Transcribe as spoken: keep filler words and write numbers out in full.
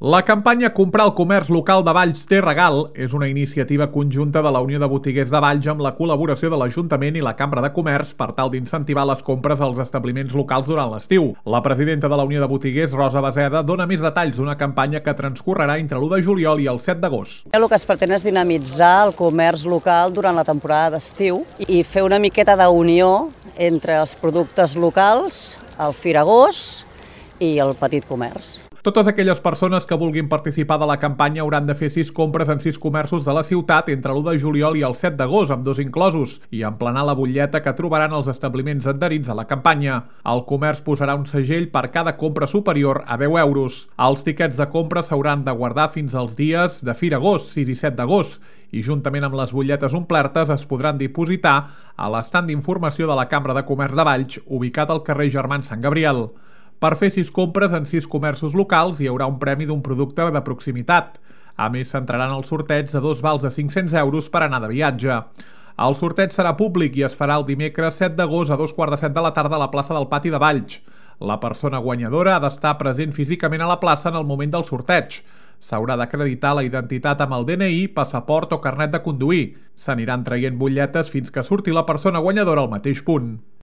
La campanya Comprar al comerç local de Valls té regal és una iniciativa conjunta de la Unió de Botiguers de Valls amb la col·laboració de l'Ajuntament i la Cambra de Comerç per tal d'incentivar les compres als establiments locals durant l'estiu. La presidenta de la Unió de Botiguers, Rosa Baseda, dona més detalls d'una campanya que transcorrerà entre l'u de juliol i el set d'agost. El que es pretén és dinamitzar el comerç local durant la temporada d'estiu i fer una miqueta d'unió entre els productes locals, el firagós i el petit comerç. Totes aquelles persones que vulguin participar de la campanya hauran de fer sis compres en sis comerços de la ciutat entre l'u de juliol i el set d'agost, amb dos inclosos, i emplenar la butlleta que trobaran els establiments adherits a la campanya. El comerç posarà un segell per cada compra superior a deu euros. Els tiquets de compra s'hauran de guardar fins als dies de Firagost, sis i set d'agost, i juntament amb les butlletes omplertes es podran dipositar a l'estand d'informació de la Cambra de Comerç de Valls, ubicat al carrer Germans Sant Gabriel. Per fer sis compres en sis comerços locals hi haurà un premi d'un producte de proximitat. A més, s'entraran els sorteig de dos vals de cinc-cents euros per anar de viatge. El sorteig serà públic i es farà el dimecres set d'agost a dos quarts de set de la tarda a la plaça del Pati de Valls. La persona guanyadora ha d'estar present físicament a la plaça en el moment del sorteig. S'haurà d'acreditar la identitat amb el D N I, passaport o carnet de conduir. S'aniran traient butlletes fins que surti la persona guanyadora al mateix punt.